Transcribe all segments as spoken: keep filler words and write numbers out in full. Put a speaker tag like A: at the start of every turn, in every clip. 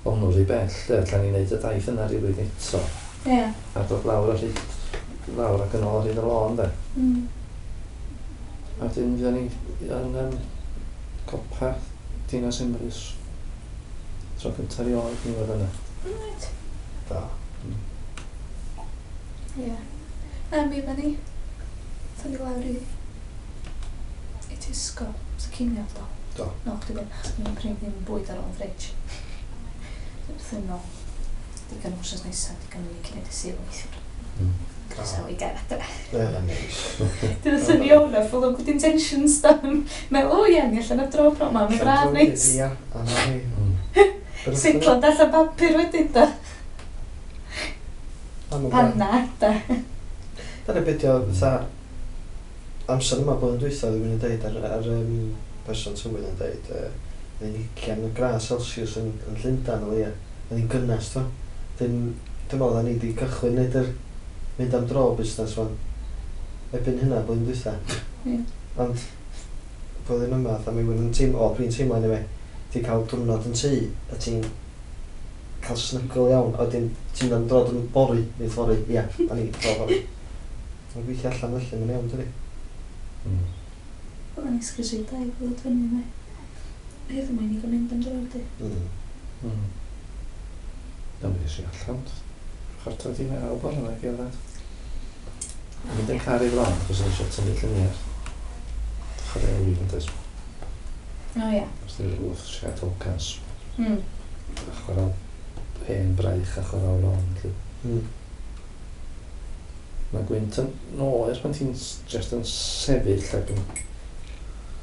A: O hwnnw rhy bell, de, allan ni wneud y daith yna rhywbryd eto.
B: Ie.
A: A dod lawr ar hyd, lawr ac yn ôl ar hyd y lôn, de.
B: Mm.
A: A wedyn fydda ni yn um, copa Dinas Emrys. Tro cyntaf erioed ni fod yna.
B: Reit.
C: Da.
B: Ie. Na, mi fydda ni. Tha ni lawr i... i Tesco. So cinio, do.
C: Do.
B: No, chdi ddim. Dwi'n prynu ddim bwyd ar ôl fridge. Wrth yn ôl. Digon wsos nesaf, digon i ni cyn i Sul weithiwr.
A: Mm.
B: Croesawu i gael adre.
C: Ie, neis.
B: Dyna syni o'na, full of good intentions da. Meddwl, o ie, ni allan ar dro pro ma, mae'n braf neis.
C: Ia, a na ni.
A: Mm.
B: Seiclo allan papur wedyn da. Panna, da.
C: Dyna beth o, fatha, amser yma blwyddyn dwytha, dwi'n yn deud ar, ar um, person tywydd yn deud, uh, oedd hi'n ugain gradd Celsius yn, yn Llundain o leia. Oedd hi'n gynnes, to. Dyn, dwi'n meddwl da ni wedi cychwyn neud yr mynd am dro busnes fan. Erbyn hynna, blwyddyn dwytha.
B: Ie.
C: Ond, blwyddyn yma, fatha mi wyn yn teimlo, o, dwi'n teimlo anyway, ti'n cael diwrnod yn tŷ, a ti'n cael snygl iawn, a wedyn ti'n mynd am dro yn bori, neu fory, ia, da ni dro fory. Mae'n gweithio allan felly, mae'n iawn, dydi?
A: Mm.
B: Oedden ni sgrisio dau ddod fyny me. Heddiw mae'n i gael mynd am dro di.
C: Mm.
A: Mm. Na, mi ddes i allan. Chwarter wedi naw bore yna, gerdded. Mynd yn car i lon, achos o'n i eisiau tynnu lluniau. Chwarae fi yn dweud,
B: O ie.
A: os dwi'n rhywbeth siarad cas.
B: Mm.
A: A chwarae hen braich a chwarae lon. Felly.
C: Mm.
A: Mae gwynt yn oer pan ti'n s- just yn sefyll ac yn...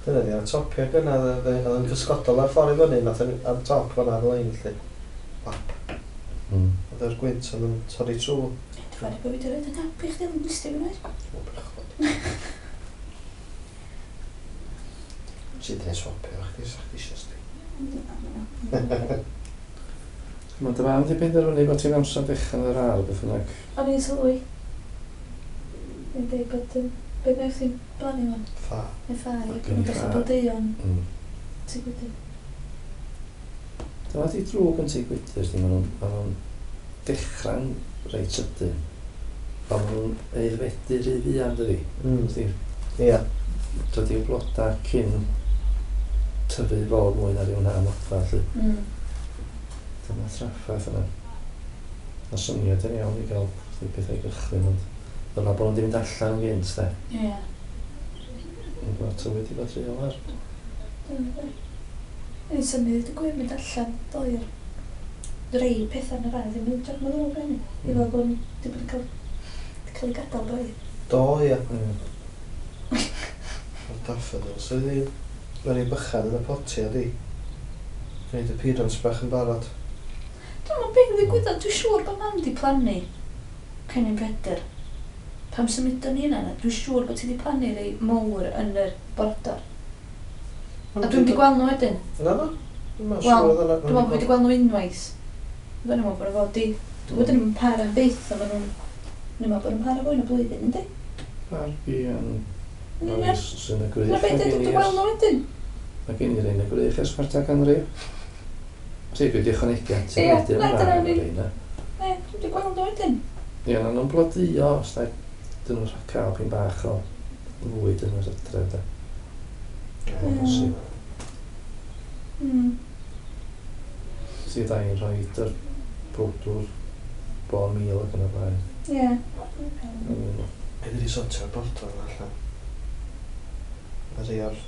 C: Dyna di, ar y topia gynna, oedd oedd yn cysgodol ar ffordd i fyny, nath yn ar top fan'na ar y lein, felly. Wap.
A: Mm.
C: Oedd yr gwynt oedd yn torri trwy.
B: Dwi'n fawr bod fi wedi rhoi yn happy chdi yn listio fi oed.
C: O, bechod. Ti di swapio chdi, sa chdi eisiau sti.
A: Mae dy fam di penderfynu bod ti'n amser dechrau yn yr ardd, beth bynnag.
B: O'n i'n sylwi. Ni'n dweud bod... yym, Be wnaeth hi'n blannu fan?
C: Ffa.
B: Neu ffa, ie.
A: Gen i
B: Dwi'n dechrau
A: ffa.
B: blodeuo'n
A: Mm.
B: tŷ gwydr.
A: Dyma di drwg yn tŷ gwydr, di, maen nhw'n ma nhw'n dechrau'n reit sydyn. Ond maen nhw'n aeddfedu rhy fuan, dydi?
C: Mm.
A: Dydi,
C: Ia.
A: dydi'r bloda cyn tyfu fod mwy na ryw na modfa, felly.
B: Mm.
A: Dyma trafferth yna. Ma syniad yn iawn i gael rhyw pethau i gychwyn, ond dyla bod nhw'n di mynd allan yn gynt, de.
B: Ie.
A: Yn gwybod tywydd i fod rhy oer.
B: Dyna fe. O'n i'n symud y gwir mynd allan ddoe ar rei pethau yn yr ardd ddim yn edrych yn ddrwg hynny. I fel bod nhw wedi bod yn cael, wedi cael ei gadael braidd.
C: Do, ia.
A: Mm.
C: O'r daffodils, oedd hi... Mae'n ei bychan yn y potia, di. Gwneud appearance bach yn barod.
B: Dwi'n meddwl beth ddigwyddodd, dwi'n siŵr bod mam di plannu cennin Pedr. Pam symudon ni yna, dwi'n siŵr bod ti di plannu rei mowr yn yr bordor. A dwi'n di gweld nhw wedyn.
C: Na, na. Dwi'n
B: Wel,
C: siŵr oedd yna.
B: Dwi'n meddwl bod fi wedi gweld nhw unwaith. Dwi'n meddwl bod nhw fod i... Dwi'n meddwl nhw'n para am byth, a maen nhw'n... Dwi'n meddwl bod nhw'n para fwy na blwyddyn, yndi?
A: Barbi yn
B: Yn union.
A: oes sy'n y gwrych.
B: Na beth ydw dwi'n gweld nhw wedyn.
A: Mae gen i rein y gwrych ers chwarter canrif. Ti, dwi wedi ychwanegu at
B: Ie,
A: y wedyn
B: na,
A: yma
B: dyna
A: ar
B: ni.
A: reina.
B: Ne, dwi'n wedi gweld nhw wedyn.
A: Ie, na nhw'n blodeuo, os da, dyn nhw'n cael pyn bach o fwyd yn yr hydref, de. Mae'n
B: Ie.
A: bosib.
B: Mm.
A: Ti da i'n rhoi yr powdwr bon mil ac yn y blaen.
B: Ie.
A: Mm.
C: Be di sortio'r bordor yna allan? Y rhai o'r...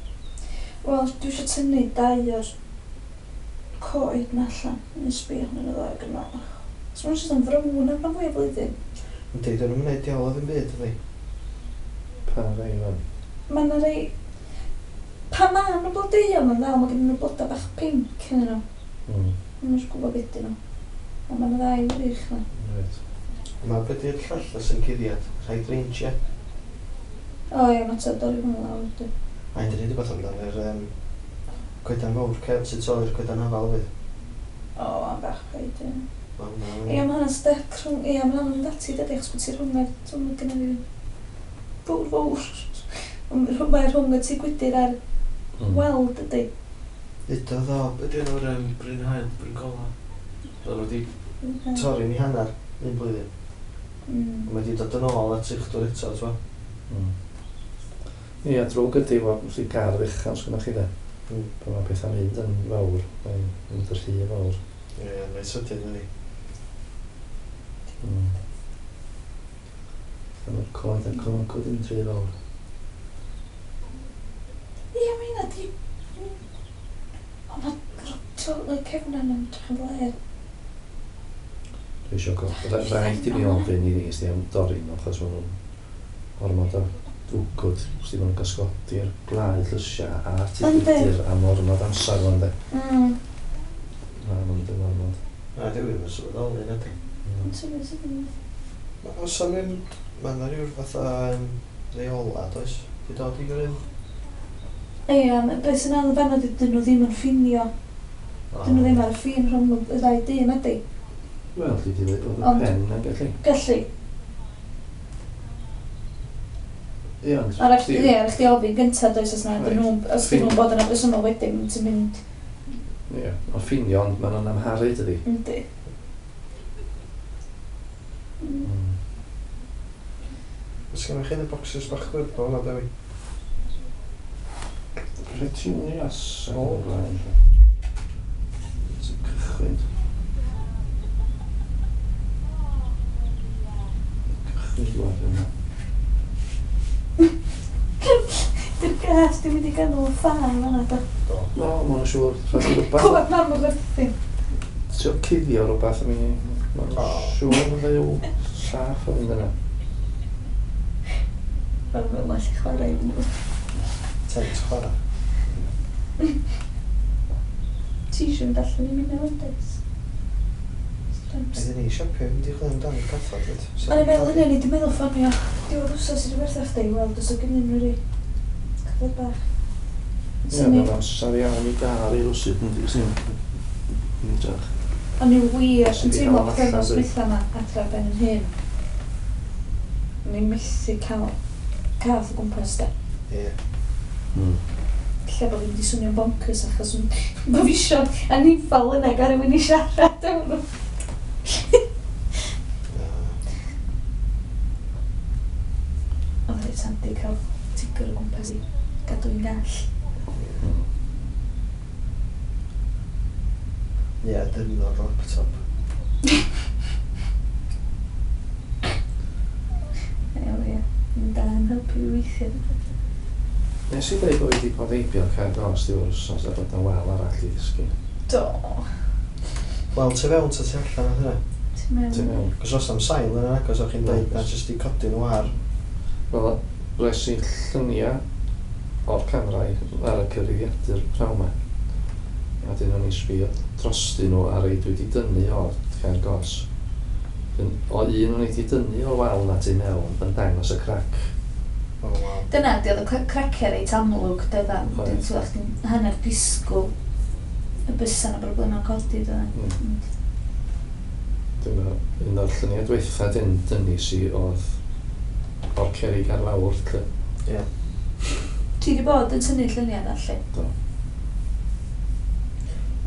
B: Wel, dwi eisiau tynnu dau o'r coed na allan. Yn sbio yn y ddau gyda. So ma'n jyst yn frown am rhan fwy o flwyddyn.
C: Yndi, dyn nhw'n gwneud diawl o ddim byd, yndi?
A: Pa rai fan?
B: Mae yna rei... Pan ma nhw'n blodeuo, mae'n ddal, mae gen nhw blodau bach pinc yn nhw.
A: Mm.
B: Dwi'n eisiau gwybod beth ydyn nhw. Ond mae yna ddau wych na.
A: Reit.
C: Mae beth yw'r llall sy'n cuddiad? Hydrangea.
B: O ie, mae ta dorri hwnna lawr, dwi.
C: A un dyn ni wedi bod amdano yr um, coedan fawr cefn sy'n tu ôl i'r coedan afal fydd.
B: O, am bach paid, ie.
C: Ma' hwnna-
B: Ie, mae hwnna'n step rhwng... Ie, mae hwnna'n mynd ati, dydy, achos bod ti rhwng y... Dwi'n meddwl gynna fi... Fawr, fawr. Ond Mae rhwng y tŷ gwydr a'r
A: Mm.
B: wal, dydy.
C: Udodd o, be' 'di enw'r um, Bryn Haul, Bryn Gola? Oedden nhw wedi torri'n i hanner un blwyddyn.
B: Mm.
C: Mae wedi dod yn ôl at uchdwr eto, t'mo?
A: Mm. Ie, drwg ydy wrth i gar fechan sgynnoch chi de.
C: Mm.
A: Pan mae pethau'n mynd yn fawr, mae'n mynd yn rhy fawr.
C: Ie, mae'n sydyn ydi.
A: Mm. Mae'r coed a'r cloncod yn rhy fawr.
B: Ie, mae hynna di... Ond mae y cefnan yn edrych yn flêr.
A: Dwi eisiau go... Rhaid i mi ofyn i ni am dorri nhw, achos maen nhw'n ormod o dwgwd. Os di maen nhw'n gysgodi'r glau llysiau a'r tŷ
B: Yndi.
A: gwydr am ormod amser fan de.
B: Mm.
A: Na, maen nhw'n ormod.
C: Na, dwi ddim yn sylweddoli, na di.
A: Mm.
B: Yn symud sydyn.
C: Os am un, mae yna rhyw fatha um, reola, does? Di dod i gryn?
B: Ie, beth sy'n anodd fanno 'di dyn nhw ddim yn ffinio. Dyn nhw ddim ar y ffin rhwng y ddau dîm ydy.
A: Wel, dwi wedi dweud bod y
B: Ond-
A: pen yn gallu.
B: Gallu.
A: Ie, ond...
B: A rhaid
A: di-
B: ie, rhaid chdi ofyn gyntaf does os na dyn
A: Reit.
B: nhw'n os dyn nhw'n bod yn abresymol wedyn ti'n mynd
A: Ie, ond ffinio, ond maen nhw'n amharu, dydi.
B: yndi. Mm.
A: Mm.
C: Os gennych chi y boxes bach gwyrdd o hwnna, Dewi?
A: Petunias ac
C: O.
A: yn y blaen. Ti'n cychwyn. Cychwyn dŵad yna.
B: Dy'r gas di mynd i ganol y ffa fan'na do.
C: Do.
A: No, ma' nhw'n siŵr. Rhaid i rhywbeth.
B: Clywed mam o werthu.
A: Trio cuddio rhywbeth, I mean, ma' nhw'n
C: O.
A: siŵr yn fyw saff o fynd yna.
B: Mae'n fel allu chwarae i nhw.
C: Tent chwarae.
B: Ti eisiau mynd allan i mynd mewn does?
C: Ydyn ni siopio, mynd i chwilio amdano cathod, dweud.
B: O'n i'n meddwl hynny, o'n i wedi meddwl ffonio diwedd wsos i rhywbeth chdi i weld os o gynnu nhw rei cathod bach.
A: Ie,
B: Swn i-
A: mae'n amser iawn i gael i rwsyd yn sy'n yn edrych.
B: O'n i wir
A: Os
B: yn
A: ydi
B: teimlo
A: hafal
B: pythefnos
A: allan,
B: dwytha yma adra ben yn hyn. O'n i'n methu cael cath o gwmpas de.
C: Ie.
A: Mm.
B: Lle bod fi'n mynd i swnio'n bonkers achos o'n- bo fi isio anifal yna gael rhywun i siarad efo nhw.
C: Na.
B: Oedd reit handi cael tigr o gwmpas i gadw i'n gall.
A: Mm.
C: Ie, dyrno'r laptop.
B: Ie, ie. Mae'n da yn helpu i weithio.
A: Nes i dweud bod fi wedi bod heibio cael gos diwedd wsos a bod na wal arall i ddisgyn.
B: Do.
C: Wel, tu fewn ta tu allan oedd hynna.
B: Ti'n mewn.
A: Ti'n mewn?
C: Cos os am sail yna agos o'ch chi'n dweud na jyst i codi nhw ar.
A: Wel, res i lluniau o'r camerau ar y cyfrifiadur prawn 'ma. A dyn o'n i sbio drostyn nhw ar ei dwi wedi dynnu o'r cael gos. Dyn- O un o'n i wedi dynnu o'r wal na tu mewn yn dangos y crac.
C: O, waw.
B: Dyna, di oedd y cra- craciau reit amlwg, dydda.
A: Oedd.
B: Dwi'n teimlo chdi'n hanner disgwyl y bysa na broblemau'n codi, dydda.
A: Mm. Dyma un o'r lluniau dwytha dyn dynnu si oedd o'r cerrig ar lawr. Lle.
C: Ie.
B: Ti di bod yn tynnu lluniau na, lle?
A: Do.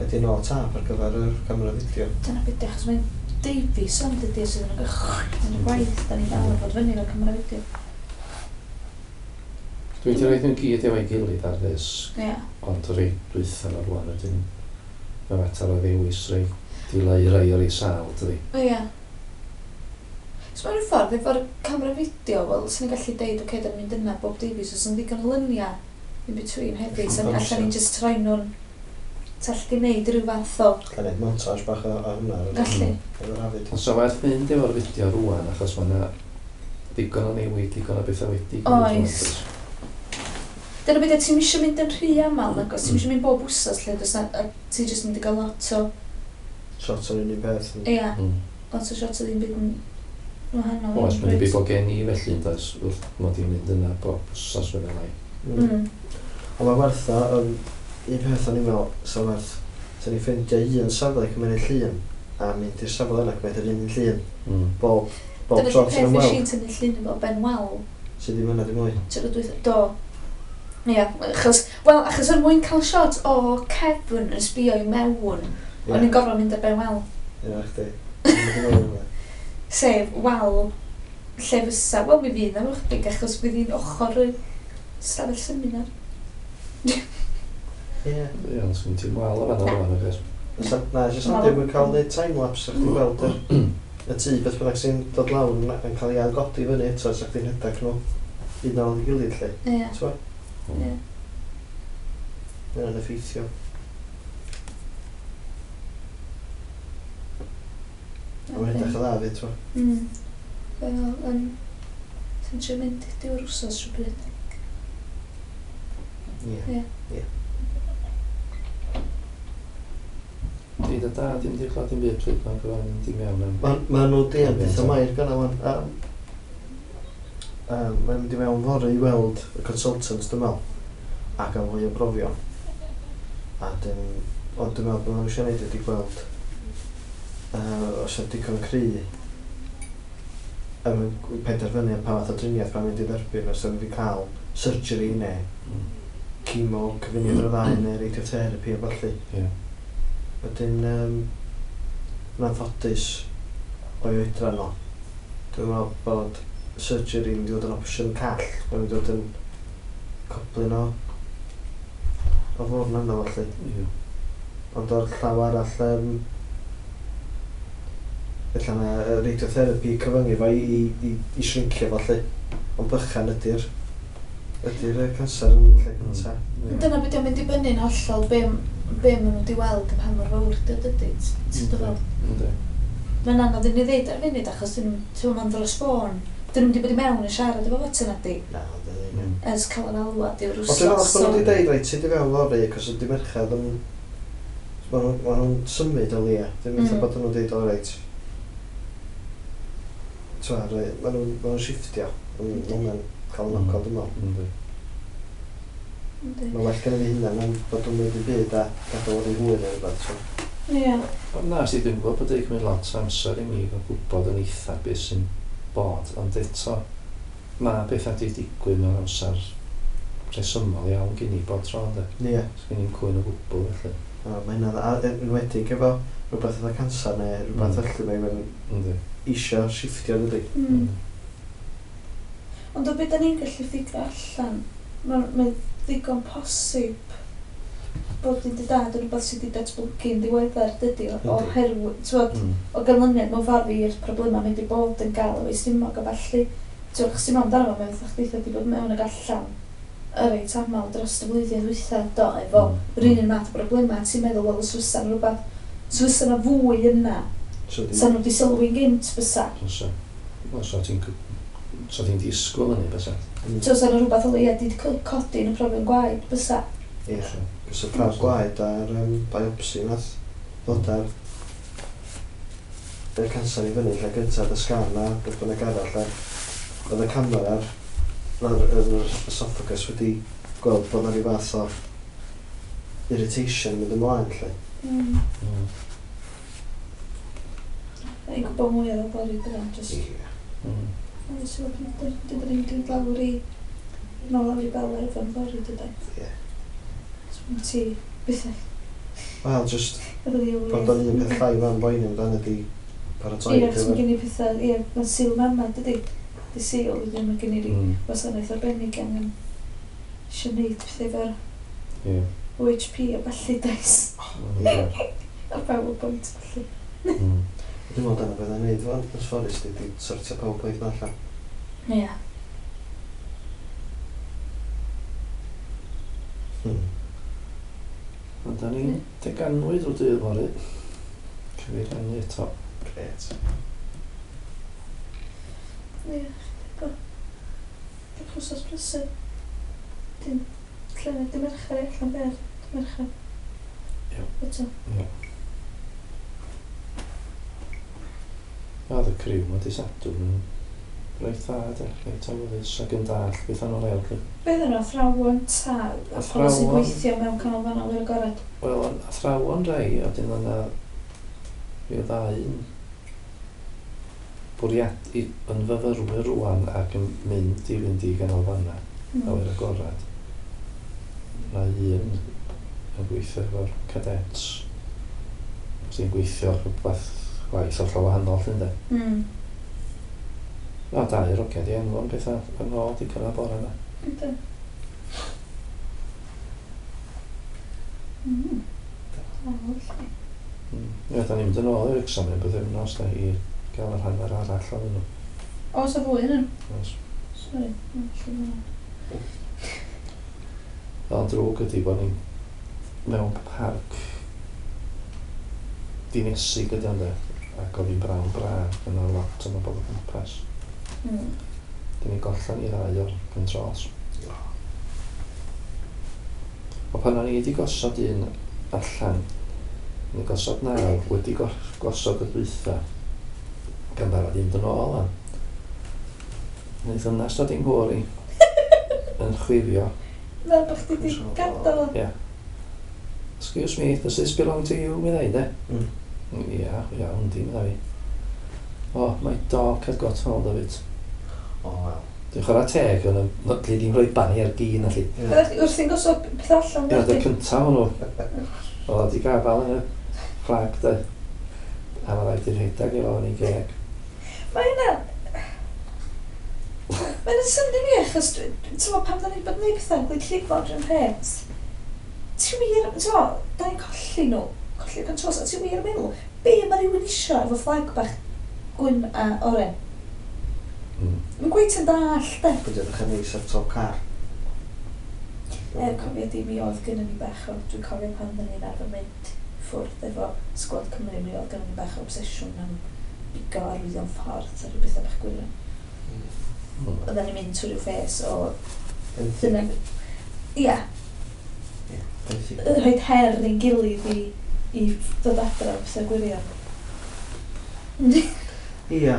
C: Ydy nôl tap ar gyfer yr camera fideo.
B: Dyna beth, achos mae'n Davies ond dydy sydd yn y yn y gwaith, da ni dal yn bod fyny fel camera fideo.
A: Dwi wedi rhoi nhw gyd efo'i gilydd ar ddisg,
B: Ie.
A: ond rei dwytha o'r rwan ydyn mae'n mater o ddewis rei dileu rei o'r ei sâl, dydi.
B: Ie. So mewn ffordd, efo'r camera fideo, wel, sy'n ni'n gallu deud, oce, okay, da ni'n mynd yna bob Davies, os yn ddigon o lyniau in between hefyd, so
C: Amser.
B: allan ni'n just troi nhw'n Tall di wneud rhyw fath o...
C: Gael neud montage bach o, o hwnna ar y-
B: Gallu.
C: efo'r hafyd.
A: Ond so werth mynd efo'r fideo rwan, achos mae yna ddigon o newid, digon o bethau wedi gwneud
B: Oes. Dyna beth, ti'n isio mynd yn rhy aml, nag oes, ti'n isio mynd bob wsos, lle, does na, a ti jyst mynd i gael lot o,
C: Shot o'r un peth. yn-
B: ia,
A: Mm.
B: lot o shots o ddim byd yn wahanol.
A: Oes, mae'n debyg bod gen i felly, yn does, wrth mod i'n mynd yna bob wsos fe fel ai.
C: Mm.
B: Mm.
C: Ond mae werth o, um, un peth o'n i'n meddwl, sa werth, sa ni'n ffeindio un safle cymryd llun, a mynd i'r safle yna cymryd yr un llun,
A: Mm.
C: bob, bob
B: Dyna
C: tro
B: di'r
C: ti'n
B: peth nes
C: ymweld,
B: i'n tynnu llun efo Ben Wal,
C: sydd ddim yna dim mwy.
B: tro dwytha, do. Ia, achos, wel, achos er mwyn cael shot o cefn yn sbio i mewn,
C: Ie.
B: o'n i'n gorfod mynd ar Ben Wal.
C: Ie, chdi. Dwi'n
B: Sef wal lle fysa, wel mi fydd am ychydig achos fydd hi'n ochr y stafell seminar.
C: Ie.
A: Ie, ond sgyn ti'n wal o fan o'r fan,
C: Fysa- Na, jyst am ddim yn cael neud time-lapse, sa chdi'n gweld yr, y tŷ beth bynnag sy'n dod lawr yn, yn cael ei ailgodi fyny eto, sa chdi'n rhedeg nhw un ar ôl ei gilydd, lle.
B: Ie,
C: T'mo?
B: ie.
C: Mae hynna'n effeithiol. A mae'n edrych yn dda fyd, t'mo?
B: Mm. Wel, um, ti'n trio mynd i diw'r wsos rhywbryd.
C: Ie.
B: Ie.
C: Ie.
A: Di dy dad ddim di clywed dim byd pryd mae'n gyfan mynd i mewn am...
C: Ma, ma nhw di yn beth o mair gyna wan. Um, um, mae'n mynd i mewn fory i weld y consultant, dwi'n meddwl, ac am fwy o brofion. A dyn, ond dwi'n meddwl bod nhw eisiau gwneud ydi gweld uh, os ydy digon cry yn penderfynu am pa fath o driniaeth mae'n mynd i dderbyn, os yw'n mynd i cael surgery neu
A: Mm.
C: chemo, cyfuniad o'r ddau neu radiotherapy a ballu.
A: Ie.
C: Wedyn, um, yn anffodus o'i oedran o, dwi'n meddwl bod surgery yn mynd i fod yn opsiwn call, mae'n mynd i fod yn coblyn o o fwrn yna felly.
A: Ie.
C: Ond o'r llaw arall, um, ella na yy, radiotherapy cyfyngu fo i, i, i, i shrinkio fo lly. Ond bychan ydy'r ydy'r yy, canser yn lle cynta.
A: Ie.
B: Dyna beth yw'n mynd i bynnu'n hollol be, be maen nhw wedi weld a pa mor fawr dy dydy. Ti'n dod
A: Yndi.
B: Mae'n anodd i ni ddeud ar y funud achos dyn nhw, ti'n meddwl, dros ffôn. Dyn nhw'n wedi bod i mewn yn siarad efo fo na di.
C: Na, ond ydy ddim.
A: Mm.
B: Ers cael yr alwad i'r
C: Ond dwi'n meddwl
B: wsos.
C: bod nhw wedi deud, reit, ti di fewn fory, achos ydy merched yn... Ma' nhw- ma' nhw'n symud o leia. Dwi'n meddwl
B: Mm.
C: bod nhw'n deud, o reit. T'wa, rei- ma' nhw'n ma' nhw'n shifftio. Yn
B: Yndi.
C: hwnna'n cael
A: Mm.
C: knock-out, dwi'n meddwl.
A: Yndi.
B: Yndi.
C: Mae'n well gen i fi hynna na'n bod nhw'n neud i byd a gadael o'r hwyr neu rhywbeth. So.
B: Ie.
A: Ond na, si dwi'n gwybod bod wedi cymryd lot o amser i mi gael gwybod yn eitha beth sy'n bod, ond eto mae bethau wedi digwydd mewn amser rhesymol iawn gen i bob tro, ynddo.
C: Ie.
A: Sgen i'n cwyn o gwbl, felly.
C: A mae hynna'n a enwedig efo rhywbeth fatha canser neu rhywbeth
A: Mm.
C: felly mae'n
A: Yndi.
C: isio shifftio dydi.
B: Mm. Ond o beth da ni'n gallu ffigur allan, mae'n mae ddigon posib bod i dy dad yn rhywbeth sydd wedi datblygu'n ddiweddar, dydy, o-
C: Yndi.
B: oherwydd, t'wod,
A: Mm.
B: o ganlyniad mewn ffordd i'r problemau mynd i bod yn gael efo'i stumog a ballu. T'wod, chos ti'n meddwl amdano fo, mae'n fatha chdi wedi bod mewn ag allan y reit aml dros y flwyddyn ddwytha, do, efo
A: Mm.
B: yr un un math o broblemau, ti'n meddwl, wel, os fysa 'na rhywbeth, os fysa 'na fwy yna,
C: So di...
B: sa nhw wedi sylwi'n gynt fysa.
A: Fysa. Wel, so ti'n so ti'n disgwyl hynny, bysa.
C: Mm.
B: So, sa 'na rhywbeth o leia wedi codi yn y profion gwaed bysa.
C: Ie.
A: Fysa.
C: Cos y prawf gwaed a'r um, biopsy nath ddod ar y canser i fyny lle gyntaf, y sgan a beth bynnag arall a oedd y camera ar ar yr esophagus wedi gweld bod 'na ryw fath o irritation mynd ymlaen lle.
B: Mm.
A: Mm.
B: I'n gwybod mwy ar y bori bydda, just...
C: Ie.
A: Mm.
B: Ond os yw'n dyn ni'n mynd lawr i... Nôl lawr i Bel efo'n fory, dydan.
C: Ie.
B: So, ti... Beth
C: Wel, just
B: Efo ddi
C: bod o'n un peth llai fan boeni amdano ydi paratoi
B: Ie,
C: ar
B: achos mae
C: gyfer.
B: gen i pethau... Ie, mae'n Sul mama, dydy. Di Sul, wedyn mae gen i ryw
A: Mm.
B: wasanaeth arbennig angen eisiau neud pethau efo'r
A: Ie.
B: O H P a ballu does.
A: Ie.
B: A PowerPoint ballu.
A: Mm.
C: Dwi'n meddwl dyna beth i'n neud fan, os ffordd di, di sortio PowerPoint na allan.
B: Ie.
C: Hmm.
A: Ond da ni'n deganwyd o dydd fory. Cyfeir hynny eto.
C: Gret.
B: Ie, bo. Bach wsos brysur. Dim llynedd, dim mercher i allan ber. Dim mercher.
A: Ie.
B: Eto.
A: Ie. Oedd y criw ma di Sadwrn yn reit dda, de. Reit awyddus ac yn dall beth o'n leol. Lly.
B: Beth yna, athrawon ta, a pobl sy'n
A: Athrawon.
B: gweithio mewn canolfan awyr agored?
A: Wel, ond athrawon rai, a wedyn yna rhyw ddau yn bwriad i, yn fyfyrwyr rwan ac yn mynd i fynd i ganolfannau
B: Mm.
A: awyr agorad. Na un yn gweithio efo'r cadets sy'n gweithio rhywbeth Gwaith hollol wahanol, llyn de.
B: Mm.
A: O, dau rogiad i enw'n pethau yn ôl di cyrraedd bore yna.
B: Ynddo. Mm. O, felly.
A: Mm. Ie, da ni'n mynd yn ôl i'r Wrecsam yn bythefnos da i gael yr hanner arall o'n nhw.
B: O, sa fwy yn
A: Oes.
B: Sori. O, lle ma' hwnna?
A: Ond drwg ydy bod ni'n mewn parc dinesig ydy ond e, ac oedd hi'n brawn braf, yna lot o bobl o gwmpas.
B: Mm.
A: Dyn ni'n gollan i ddau o'r controls. O pan o'n i wedi gosod un allan, ni gosod naw, wedi gos- gosod y dwytha, gan barod i fynd yn ôl an. Wnaeth ddynas dod i'n nghwr i yn chwifio.
B: Fel bod chdi 'di
C: Control.
B: gadael o.
A: Yeah. Excuse me, does this belong to you? Mi ddeud, e?
C: Mm.
A: Ia, iawn, di, medda fi. Oh, my dog had got hold of it.
C: O, wel.
A: Dwi'n chwarae teg, ond no, dwi ddim rhoi bai ar gi na lli.
C: Ie.
B: Oeddech chdi wrthi'n gosod peth allan
A: Ie,
B: oeddech
A: dy'r
B: chdi?
A: cyntaf o'n nhw. Oedd o di gafal yn y fflag, de. A mae rhaid i'r rhedeg efo yn ei geg.
B: Mae hynna... Mae hynna'n synnu fi achos, dwi- dwi- ti'n meddwl, pam da ni'n bod yn neud pethau yn gwneud llifod rhywun peth. Ti wir, ti'n meddwl, da ni'n colli nhw, colli'r controls, a ti wir yn meddwl, be mae rhywun isio efo fflag bach gwyn a oren?
A: Mm.
B: Mae'n gweith yn dall, de.
C: Pwy edrych yn neis ar top car.
B: Er, cofio di, mi oedd gynnon ni bach o, dwi'n cofio pan oedden ni'n arfer mynd ffwrdd efo Sgwad Cymru, mi oedd gynnon ni bach o obsesiwn am bigo arwyddion ffordd a rhyw bethau bach gwirion.
A: Mm.
B: Oedden ni'n mynd trwy rhyw ffes o
C: Benthyg.
B: dyna... Ia,
C: Ie, benthyg.
B: rhoi her i'n gilydd i, i ddod adra o pethau gwirion.
C: Ia.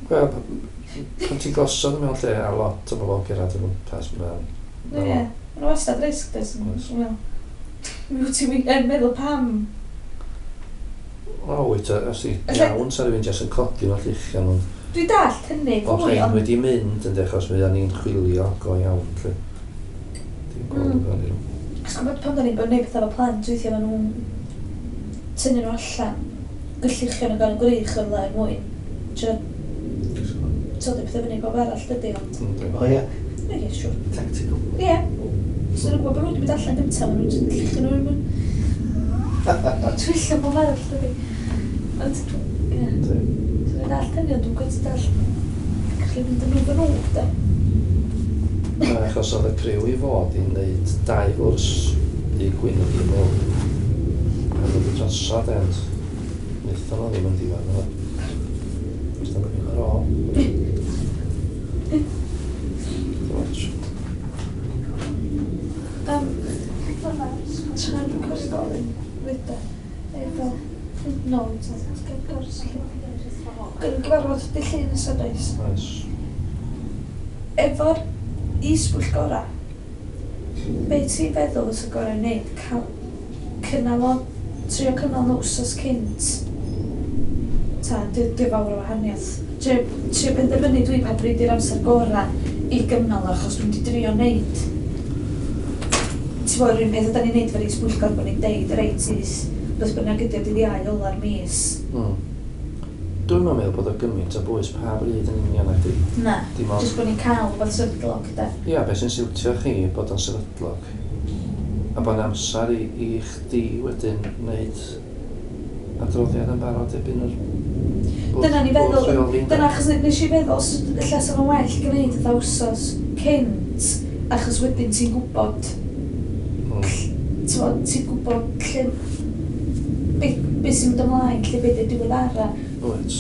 A: Wel, p- pan ti'n gosod mewn lle a lot o bobl yn cyrraedd o gwmpas, mae'n...
B: Ie, mae'n wastad risg, does?
A: Oes.
B: Wel, mi wyt ti'n yn meddwl pam.
A: O, wyt, os i
B: Ella-
A: iawn, sa rhywun jyst yn codi nhw'n lluchian, ond
B: Dwi'n dallt hynny
A: o
B: fwy,
A: rhain
B: ond
A: wedi mynd yn achos mi ni'n chwilio go iawn, lle. Dim gweld
B: Mm.
A: mm. fel nhw.
B: Achos gwybod pan da ni'n bod yn neud pethau efo plant, weithiau maen nhw'n tynnu nhw allan, gylluchio nhw gan y gwrych o'r le er mwyn. Trio toddi pethau fyny pob arall, dydy, ond...
A: Yndi.
C: O ie,
B: Ie, ie, siŵr.
C: tactical.
B: Ie. So nhw'n gwybod bod nhw wedi mynd allan gyntaf, maen nhw'n jyst lluchio nhw er mwyn... Twyllo pob arall, dydy. Ond, ie.
A: Yndi.
B: So dwi'n dallt hynny, ond dwi'n gweud dallt gallu mynd yn nhw fy nhw, de.
A: Na, achos oedd y criw i fod i wneud dau gwrs i gwyn yn un mewn. A oedd y drosodd, ond wnaethon nhw ddim yn diwedd yna. Os da nhw'n ar ôl. Dim ots.
B: Um, Tra'n recordio, fyda, efo, no, gors. Gyn gyfarfod dy llun nesaf does.
A: Oes.
B: Efo'r is-bwyllgora, be ti'n feddwl fysa gorau wneud? Cael cynnal o, trio cynnal nhw wsos cynt. Ta, di, di fawr o wahaniaeth. Trio, trio penderfynu dwi pa bryd i'r amser gorau i gynnal o, achos dwi'n di drio wneud. Ti'n bod, yr un peth ydan ni'n neud efo'r is-bwyllgor bod ni'n deud, reit, is, beth bynnag ydi o dydd Iau ola'r mis.
A: Mm. Dwi'n meddwl bod o gymaint o bwys pa bryd yn union ac di.
B: Na,
A: Dim ond
B: jyst bod ni'n cael rhywbeth sefydlog, de.
A: Ia, beth sy'n siwtio chi bod o'n sefydlog. A bod amser i, i chdi wedyn wneud adroddiad yn barod erbyn yr bwrdd-
B: Dyna ni
A: bwrdd
B: feddwl,
A: rheoli, ynde?
B: dyna achos nes i feddwl, s- ella sa fo'n well gwneud y wsos cynt, achos wedyn ti'n gwybod,
A: Mm.
B: ti'n ti'n gwybod lle, be, be sy'n mynd ymlaen, lle be di'r diweddara.
A: Wyt.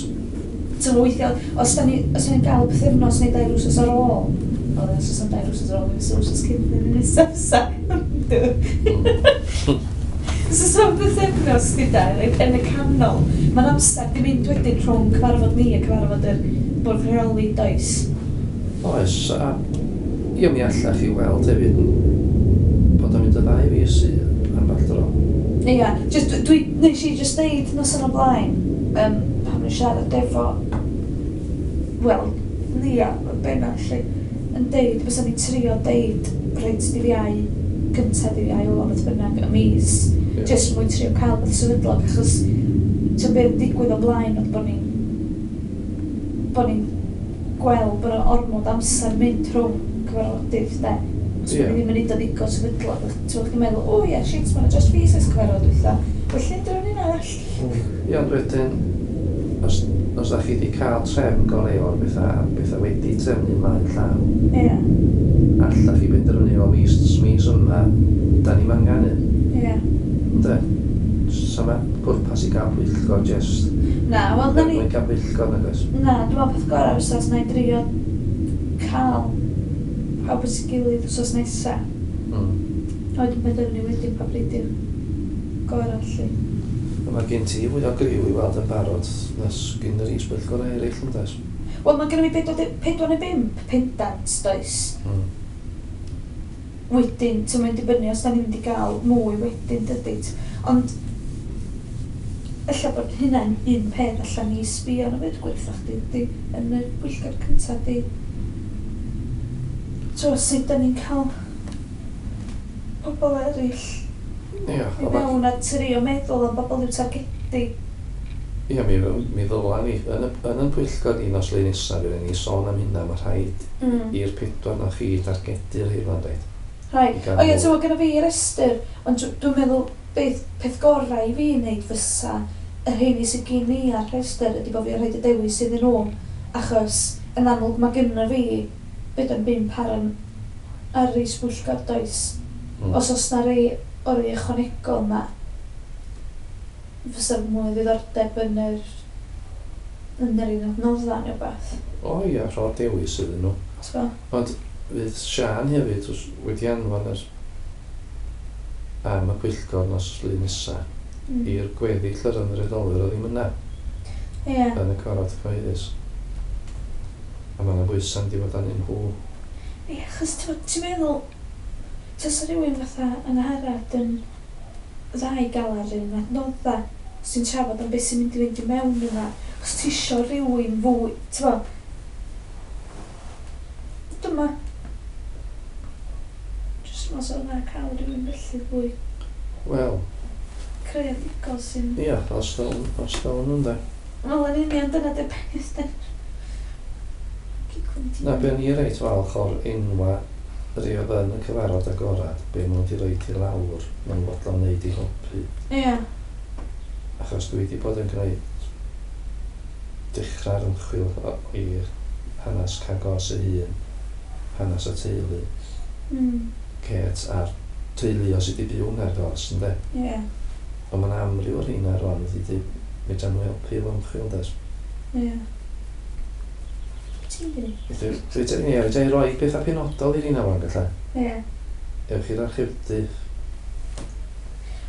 B: Ti'n gwbod, weithiau, os da ni, os da ni'n gael pythefnos neu dair wsos ar ôl, o, os oes am dair wsos ar ôl, mi fysa wsos cynt yn y nesaf fysa.
A: Mm.
B: Os oes am pythefnos gyda, yn y canol, mae'n amser di mynd wedyn rhwng cyfarfod ni a cyfarfod yr bwrdd rheoli, does?
A: Oes, a ie, mi allach chi weld hefyd bod o'n mynd y ddau fis i ambell dro.
B: Ia, just, dwi, nes i just deud noson o blaen, um, pan o'n siarad efo, wel, Nia, yn benna, lle, yn deud, bysa ni'n trio deud, reit, dydd Iau, gynta dydd Iau ola, beth bynnag, y mis,
A: Ie.
B: just mwyn trio cael beth sefydlog, achos Ti'n beth digwydd o blaen oedd bod ni'n bod ni'n gweld bod yna ormod amser mynd rhwng cyfarfodydd, de. Os
A: Ie.
B: bod ni ddim yn neud o ddigon sefydlog, ti'n chdi'n meddwl, o ie, shit, mae'n just fi sy'n cyfarfod dwytha. Well, nid rhywun un arall.
A: Ie, ond wedyn, os, os da chi wedi cael trefn go leol ar bethau, a bethau wedi trefnu ymlaen llaw,
B: Ie,
A: alla chi benderfynu o mis, mis yma, da ni'n angen un.
B: ie.
A: Ynde? Sa ma pwrpas i gael pwyllgor just
B: Na, wel, na
A: er
B: ni...
A: mwyn cael pwyllgor nag oes.
B: Na, dwi'n meddwl peth gorau fysa os na i drio cael pawb at ei gilydd wsos nesa.
A: Mm.
B: A wedyn benderfynu wedyn pa bryd yw'r gorau, lly.
A: A mae gen ti fwy o griw i weld yn barod nes gyn yr is-bwyllgor eraill yn does?
B: Wel, mae gennym fi pedwar pedwar neu bump pendant, does?
A: Mm.
B: Wedyn, ti'n mynd dibynnu os da ni'n mynd i gael mwy wedyn, dydy. Ond, ella bod hynna'n un peth allan ni sbio arno fo, gwertha chdi, di, yn y pwyllgor cyntaf, di. So, sut da ni'n cael pobl eraill
A: Ie,
B: i
A: ond ma-
B: mewn a trio meddwl am bobl i'w targedu.
A: Ie, mi, mi ddyla ni, yn y, yn y pwyllgor ni nos Lun nesaf, fydd ni sôn am hynna, mae rhaid
B: Mm.
A: i'r pedwar na chi dargedu'r hyn dweud.
B: Rhaid.
A: I gael
B: O ie,
A: mwy.
B: ti'n gwybod, gyda fi restr, ond dw- dwi'n meddwl beth, peth gorau i fi wneud fysa y rheini sydd gen i ar restr ydy bod fi'n rhaid y dewis iddyn nhw, achos yn amlwg mae gynna fi beth yn bump ar yn ar yr is-bwyllgor does.
A: Mm.
B: Os oes na rei o'r rei ychwanegol ma, fysa mwy o ddiddordeb yn yr yn yr un adnoddau neu beth.
A: O ie, rho dewis iddyn nhw.
B: T'bo?
A: Ond fydd Sian hefyd w's- wedi anfon yr am y pwyllgor nos Lun nesa
B: Mm.
A: i'r gweddill yr ymddiriedolwyr oedd ddim yna
B: Ie.
A: yn y cyfarfod cyhoeddus. A mae yna bwysau'n di fod arnyn nhw.
B: Ie, achos ti'n ti'n meddwl, tasa rhywun fatha yn Angharad yn dda i gael ar un adnodda sy'n trafod am beth sy'n mynd i fynd i mewn yna. Os ti isio rhywun fwy, ti'n bo? Dyma. Jyst yn meddwl yna cael rhywun felly fwy
A: Wel,
B: creadigol sy'n...
A: ia, os ddown, os ddown nhw'n de.
B: Wel, yn union dyna di'r peth, de. Ciclwn ti.
A: Na, be o'n i reit falch o'r enwa rei oedd yn y cyfarfod agorad, be maen nhw wedi rhoid i lawr, maen nhw'n fodlon wneud i helpu.
B: Ie.
A: Achos dwi wedi bod yn gwneud dechrau'r ymchwil o- i'r hanes Cagos ei hun, hanes y teulu,
B: Mm.
A: Kate a'r teulu sydd wedi byw yng Nghaergors, ynde?
B: Ie.
A: Ond mae'n amryw o'r rheina rwan wedi dweud, fedra nhw helpu efo ymchwil, does?
B: Ie. Ti'n gwneud?
A: Fedra fedra- ie, fedra i roi pethau penodol i'r rheina rwan, gallai.
B: Ie.
A: Ewch i'r archifdy.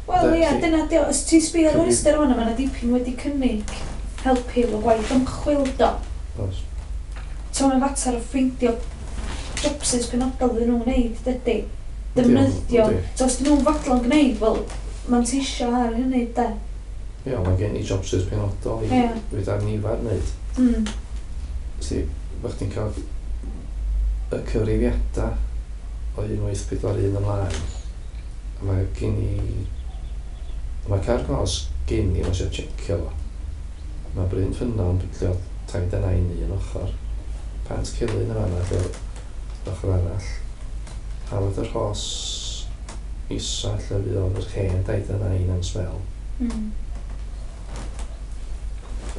B: Wel,
A: Felly-
B: ia, dyna di o. Os ti'n sbio ar y
A: Cyfri-
B: rhestr hwnna, mae yna dipyn wedi cynnig helpu efo gwaith ymchwil do.
A: Oes.
B: So mae'n fater o ffeindio jobsys penodol iddyn nhw'n wneud, dydy. Defnyddio.
A: Yndi.
B: So os dyn nhw'n fodlon gwneud, wel, manteisio ar hynny, de.
A: Ie, mae gen i jobsys penodol i
B: Ie.
A: fedra nifer wneud.
B: Mm.
A: Ti, bych ti'n cael y cyfrifiadau o un wyth pedwar un ymlaen. A mae gen i... Mae Caergors gen i, mae eisiau checio fo. Mae Bryn Ffynnon, lle oedd taid a nain i yn ochr. Pant Celyn yn fan'na, lle oedd ochr arall. Hafod yr Rhos isa, lle fuodd yr hen daid a nain am sbel.
B: Mm.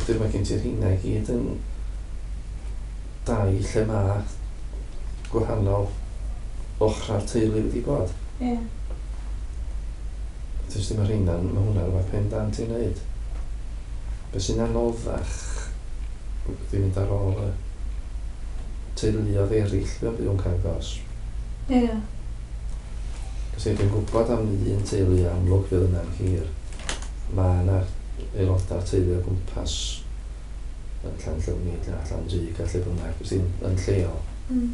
A: Wedyn mae gen ti'r rheina i gyd yn dau lle mae gwahanol ochrau'r teulu wedi bod.
B: Ie.
A: Dys dim yr rheina, mae hwnna rhywbeth pendant i wneud. Be sy'n anoddach, wedi mynd ar ôl y teuluoedd eraill fe'n byw yn Caergors.
B: Ie.
A: Cos dwi'n gwybod am un teulu amlwg fydd yna'n hir. Mae yna aelodau'r teulu o gwmpas yn Llanllyfni, Llandrug a lle bynnag, sy'n yn lleol.
B: Mm.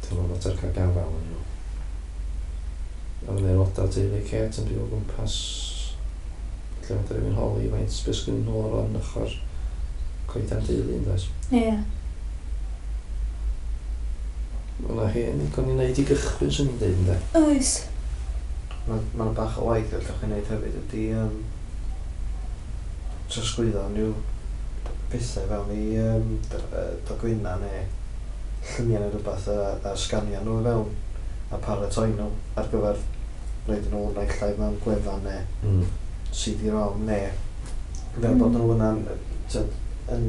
A: Dwi'n meddwl mater cael gafael yn nhw. A mae'n aelodau'r teulu Kate yn byw o gwmpas lle mae rhywun holi faint beth sgyn nhw o ran ochr coedan deulu yn does.
B: Ie.
A: Mae yna hen ddigon i wneud i gychwyn swn i'n dweud ynde.
B: Oes.
C: Mae ma bach o waith allwch chi wneud hefyd ydy um, trosglwyddo unrhyw pethau fewn i um, dogfenna neu lluniau neu rhywbeth a, a sganio nhw i fewn a paratoi nhw ar gyfer roed nhw naill ai mewn gwefan neu
A: Mm.
C: C D-ROM neu fel
B: Mm.
C: bod nhw yna'n tyd, yn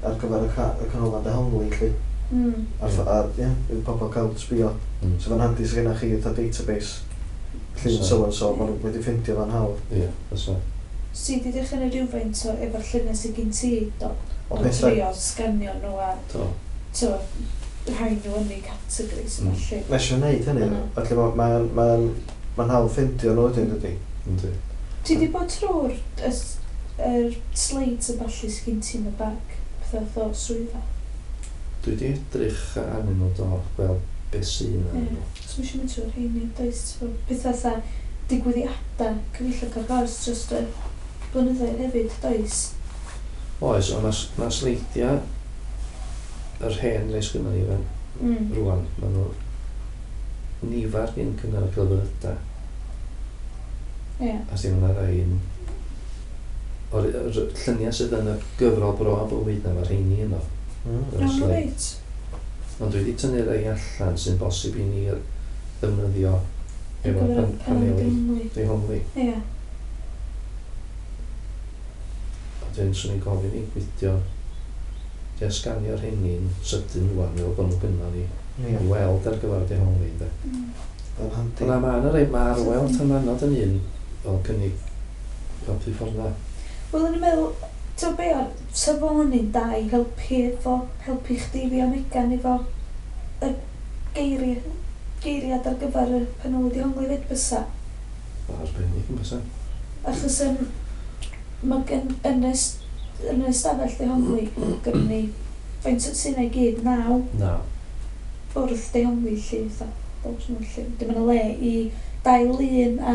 C: ar gyfer y, ca y canolfan dehongli lly.
B: Mm.
C: A,
A: Ie.
C: a ie, bydd pobl cael sbio.
A: Mm.
C: So fe'n handi sydd gennych chi fatha database llun
A: So-
C: so and so, maen nhw wedi ffindio fo'n hawdd.
A: Ie, fysa.
B: Si di dechrau neud rhywfaint o efo'r lluniau sydd gen ti, do?
C: O
B: O
C: pethau,
B: trio sganio nhw a
A: Do.
B: t'o, rhai nhw yn eu categories
A: Mm.
B: mm. felly.
C: Mae eisiau gwneud hynny,
B: Mm.
C: felly mae'n ma, ma, mae'n hawdd ffindio nhw wedyn, dydy.
A: Yndi.
B: Ti di bod trwy'r y s- yr slides a ballu sydd gen ti yn y bag? Pethau fath o swyddfa.
A: Dwi wedi edrych arnyn nhw do, gweld beth sy'n arnyn nhw.
B: So mae eisiau mynd trwy'r rheini, does? T'bo, pethau fatha digwyddiadau cyfeillio ar gors dros y blynyddoedd hefyd, does?
A: Oes, ond mae ma sleidiau yr hen rei sgynnon ni fan
B: Mm.
A: rwan, maen nhw nifer gyn cyngor y celfyddydau.
B: Ie.
A: A sy'n yna rai yn... O'r yr lluniau sydd yn y gyfrol bro a bywyd na, mae'r rheini yno.
C: Mm.
A: Yr
B: Iawn,
A: sleid.
B: reit.
A: Ond dwi wedi tynnu rei allan sy'n bosib i ni ddefnyddio
B: Ar
A: efo
B: gyfer y
A: pan,
B: paneli
A: paneli
B: dehongli.
A: dehongli.
B: Ie.
A: A wedyn swn i'n gofyn i gweithio i sganio'r rheini'n sydyn rwan, fel bod nhw gynno ni
C: Ie,
A: i weld ar gyfer dehongli, ynde.
B: Mm.
C: yn handi.
A: Ond ma' 'na rei, ma' Arwel Tanmanod yn un fel cynnig helpu ffordd na.
B: Wel, o'n i'n meddwl, ti'n be o'r, sa fo'n un da i helpu efo, helpu chdi fi a Megan efo y geiriau, geiriad ar gyfer y paneli dehongli fyd bysa.
A: Arbennig yn bysa.
B: Achos um, mae gen, yn y, s- yn y stafell dehongli, gynnu ni, faint sy'n ei gyd, naw
A: Na.
B: bwrdd dehongli lly, fatha, bob nhw lly. Dim yn y le i dau lun a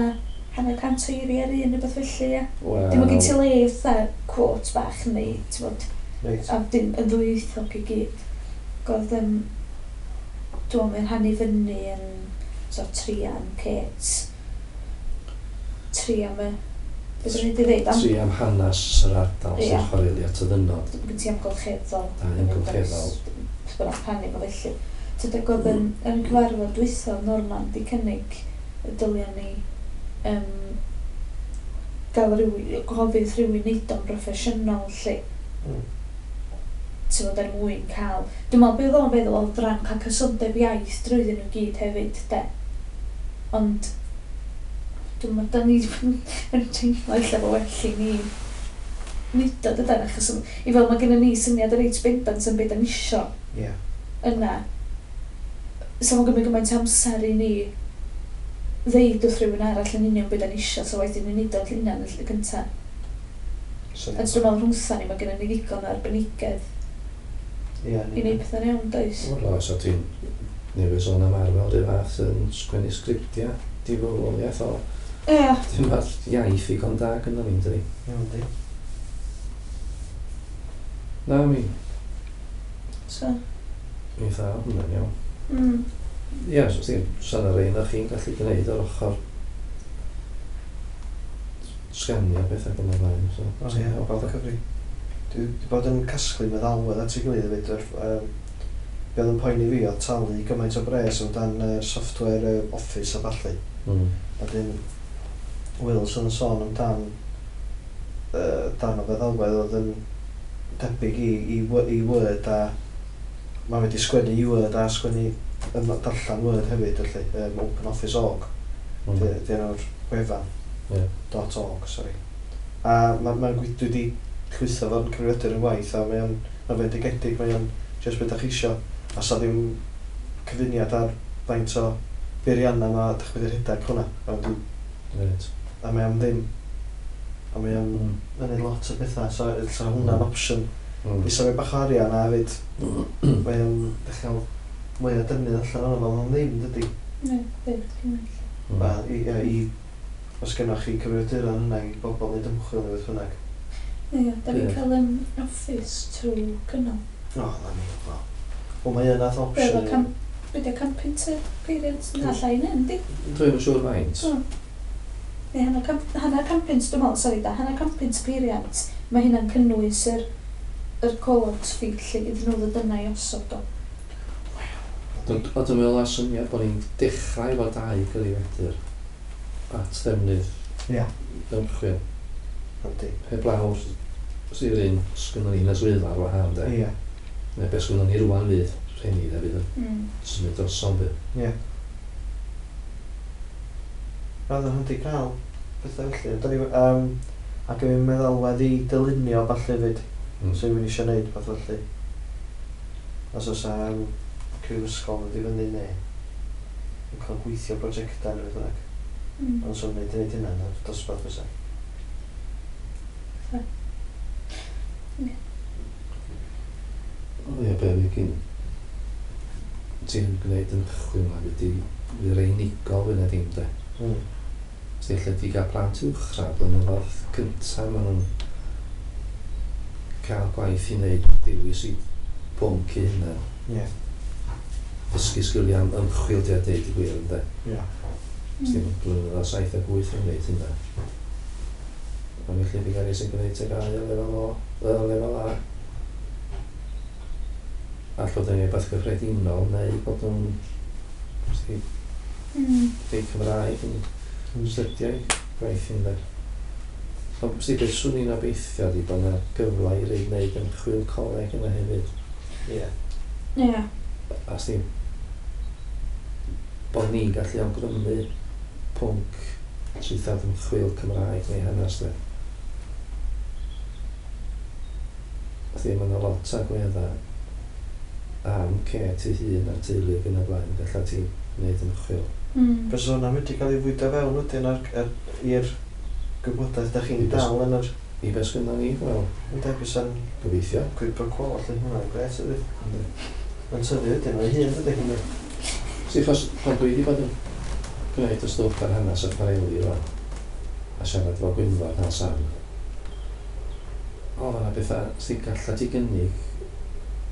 B: hanner cant o eiriau ar un, neu beth felly, ia.
A: Wel,
B: Dim yn gen ti le fatha quote bach neu, ti'n bod,
C: Reit.
B: a dim yn ddwyieithog i gyd. Godd, um, dwi'n meddwl rhannu fyny yn so, tri am Kate, tri am y, beth o'n i wedi dweud, am,
A: Tri am hanes yr ardal
B: Ie.
A: sy'n chwareli at y ddynod.
B: gen ti amgylcheddol.
A: Da, amgylcheddol.
B: Beth bynnag rhannu fo felly. Tyd oedd yn, yn cyfarfod dwytha Norman di cynnig y dylia ni um, gael rhyw, gofyn rhywun neud o'n broffesiynol lle.
C: Mm.
B: Ti'n fod er mwyn cael... Dwi'n meddwl beth o'n feddwl oedd ran cael cysondeb iaith drwyddyn nhw gyd hefyd, de. Ond dwi'n meddwl, da ni yn teimlo ella fo well i ni neud o dydan, achos i fel mae gennym ni syniad reit bendant yn beth da ni isio
C: Ie.
B: yna, so mae'n gymryd gymaint o amser i ni ddeud wrth rhywun arall yn union beth da ni isio, so waeth i ni neud o'n hunan yn lle cynta.
C: So,
B: A dwi'n meddwl rhwngtha ni, mae gennym ni ddigon o arbenigedd
C: Ie,
B: i wneud pethau'n iawn, does?
A: Wel, oes, a ti'n newydd sôn am Arwel rhyw fath yn sgwennu sgriptiau difywoliaeth o.
B: Ie.
A: Dim ma'r iaith ddigon da gynnon ni, dydi?
C: Iawn, di.
A: Na, mi,
B: So,
A: mi dda hwnna'n iawn.
B: mm.
A: Ie, so ti'n, sa'n yr un o chi'n gallu gwneud ar ochr sganio bethau yn y blaen. So,
C: O ie, o cyfri. Dwi wedi bod yn casglu meddalwedd at ei gilydd hefyd. Yr, um, be oedd yn poeni fi oedd talu gymaint o bres amdan uh, software uh, Office a ballu.
A: Mm.
C: A dyn Wilson yn sôn amdan uh, darn o feddalwedd oedd yn debyg i, i, Wo- i Word a mae wedi sgwennu i Word a sgwennu yn darllen Word hefyd felly, um, Open Office org.
A: Mm.
C: Di di enw'r wefan.
A: Ie.
C: Dot org, sorry. A mae'n ma dwi wedi llwytho fo'n cyfrifiadur yn waith a mae o'n ma fendigedig, mae o'n just beth ydych chi isio. A sa ddim cyfuniad ar faint o beirianna ma dych chi wedi rhedeg hwnna. A, wedi,
A: Reit.
C: a mae am ddim. A mae o'n
A: Mm.
C: yn neud lot o bethau, so, so hwnna'n
A: Mm.
C: opsiwn.
A: Mm.
C: Fysa fe bach o arian a hefyd, mae o'n dechrau mwy o defnydd allan o'n fel o'n ddim, dydy.
B: Ne, ddim, gymaint.
A: Mm.
C: A i, i, i, os gennoch chi cyfrifiaduron yna i bobl wneud ymchwil neu beth bynnag.
B: Ie, da ni'n
A: Ie.
B: cael um, office trwy cynnal.
C: O, na ni, wel. Wel, mae yna
B: Be
C: opsiwn.
B: oedd o cam... Be di o can punt y peiriant? Na, llai na, yndi?
A: Dwi'm yn siŵr faint.
B: O. Neu hanner can, hanner can punt, dwi'n meddwl, sori da, hanner can punt peiriant. Mae hynna'n cynnwys yr, yr call-out fee lle iddyn nhw ddod yna i osod o.
A: Ond ond dwi'n meddwl ar syniad bod ni'n dechrau efo dau gyfrifiadur at ddefnydd
C: Ie.
A: ymchwil.
C: Yndi.
A: Heblaw sy'r un sgynnon ni yn y swyddfa ar wahân, de.
C: Ie.
A: Neu beth sgynnon ni rwan fydd rheini, de, fydd yn
B: Mm.
A: symud drosodd, fydd.
C: Ie. Roedd yn handi cael pethau felly. Da ni, um, ac yn meddalwedd i dylunio falle fyd.
A: Mm.
C: So rhywun eisiau gwneud peth felly. Os oes um, criw ysgol yn dod i fyny neu yn cael gweithio prosiectau neu beth bynnag.
B: Mm.
C: Ond swn i'n gwneud hynna yn y dosbarth fysa.
B: Ie.
A: O ie, be fi gyn ti'n gwneud ymchwil ma, fydd di fydd rei unigol fwy na dim, de.
C: Mm.
A: Os ella di gael plant uwchradd, blynyddoedd cyntaf, maen nhw'n cael gwaith i wneud dewis i bwnc i hunan.
C: Ie.
A: Dysgu sgiliau am ymchwil di a deud i gwir, ynde.
C: Ie.
A: Os dim blynyddoedd saith ac wyth yn gwneud hynna. Ond felly fi gael ei sy'n gwneud T G A U o lefel O, yy, lefel A. All fod yn rhywbeth gyffredinol neu bod nhw'n os di,
B: Mm.
A: deud Cymraeg yn
C: Mm.
A: stydiau gwaith yn de. Ond si beth swn i'n obeithio di bod yna gyfle i rei wneud ymchwil coleg yna hefyd.
C: Ie.
B: Ie.
A: A sti bod ni'n gallu awgrymu pwnc traethawd ymchwil Cymraeg neu hanes de. Felly mae yna lot o agweddau am Kate ei hun a'r teulu ac yn y blaen, gallu ti wneud ymchwil.
B: Mm.
C: Fysa hwnna'n mynd i gael ei fwydo fewn wedyn ar, ar, i'r gwybodaeth da chi'n dal yn yr...
A: I beth sgynnon ni, wel,
C: Ynde, bysa'n
A: gobeithio.
C: quid pro quo allan hwnna'n gret ydy.
A: Yndi.
C: Mae'n tyfu wedyn, mae'n hun dydy.
A: Si, achos pan dwi wedi bod yn gwneud y stwff ar hanes y chwareli rwan, a siarad efo Gwynfor na Sam, o, yna bethau sy'n gallu ti gynnig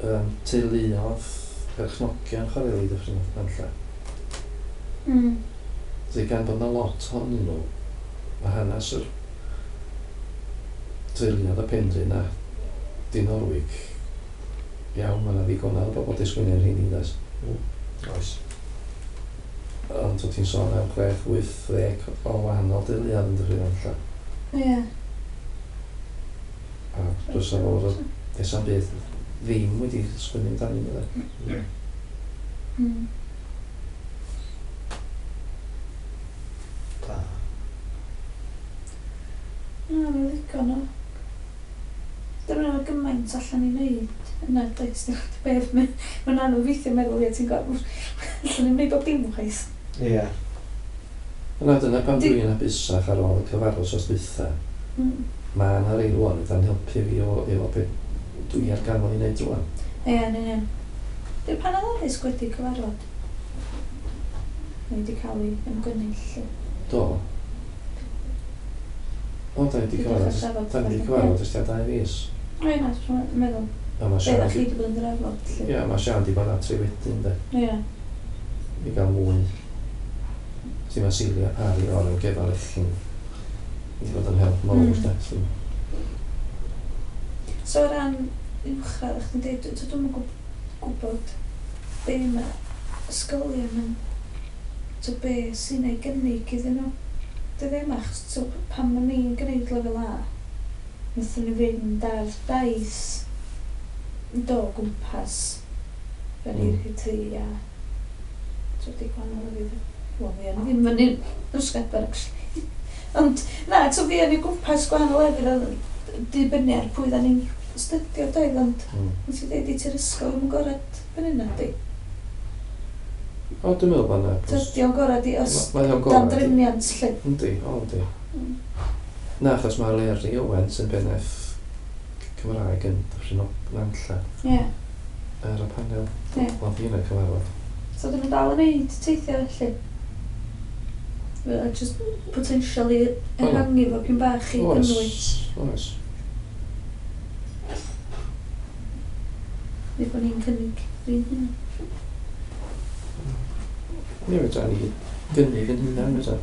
A: um, teuluodd perchnogion chwareli Dyffryn Nantlle.
B: Mm.
A: Felly gan bod yna lot ohonyn nhw, mae hanes yr teuluodd y Penrhyn a Dinorwig, iawn, mae yna ddigonedd o bobl di sgwennu'r rheini, does.
C: Oes.
A: Ond wyt ti'n sôn am chwech, wyth, ddeg o wahanol deuluoedd yn Dyffryn Nantlle.
B: Ie.
A: A dros o fod o byd ddim wedi sgwennu amdanyn nhw, de.
B: Mm.
C: Da.
B: Na, mae'n ddigon o. Dim yn gymaint allan i wneud yna, does dim beth. Mae'n anodd weithio meddwl, ie, ti'n gwybod, allan i'n wneud bob dim chwaith.
C: Ie.
A: Yna dyna pam
B: Di-
A: dwi'n hapusach ar ôl y cyfarfod sos dwytha.
B: Mm.
A: Mae yna rei rwan yda'n helpu fi o, efo be dwi ar gael i wneud rwan.
B: Ie, yn union. Di'r panel addysg wedi cyfarfod? Neu wedi cael ei ymgynnull? lly?
A: Do. O, da ni wedi
B: Di
A: cyfarfod,
B: dechrau trafod
A: da ni wedi
B: felly,
A: cyfarfod ers tua dau fis.
B: O ie, na, dwi'n meddwl.
A: A mae
B: Be
A: Sian
B: ddech chi
A: di,
B: wedi bod yn drafod, lly?
A: ie, mae Sian di bod adre wedyn, de.
B: Ie.
A: I gael mwy. Felly mae Celia Parry o'r Amgueddfa Lechyn wedi bod yn help mawr,
B: Mm.
A: de. So,
B: So o ran uwchradd, chdi'n dweud, dwi dwi'm yn gwb- gwybod be mae ysgolion yn, to be sy'n ei gynnig iddyn nhw. Dwi ddim achos to, pan o'n i'n gwneud lefel A, wnaethon ni fynd ar daith yn do o gwmpas fyny'r
A: Mm.
B: mm. tŷ a to di gwahanol o fydd. Wel, fi o'n i ddim fyny Rhosgadfan, actually. Ond, na, to fi o'n i gwmpas gwahanol lefydd a dibynnu ar pwy da ni'n astudio doedd, ond
A: mm.
B: nes i dweud i ti'r ysgol ddim yn gorau fyny na di.
A: O, dwi'n meddwl bod yna...
B: Tydi o'n gorau di os
A: Mae o'n
B: dan
A: gorau.
B: drefniant lle.
A: Yndi, o, yndi.
B: Mm.
A: Na, achos mae Leri Owen sy'n bennaeth Cymraeg yn Dyffryn Nantlle
B: Ie.
A: ar y panel.
B: Ie.
A: Oedd hi yn y cyfarfod.
B: So dyn nhw'n dal yn neud teithio felly. Well, just potentially ehangu fo pyn bach i
A: Oes,
B: gynnwys.
A: oes.
B: Neu bod ni'n cynnig yr un hynna.
A: Ie, fedra ni gynnig yn hynna, fedra.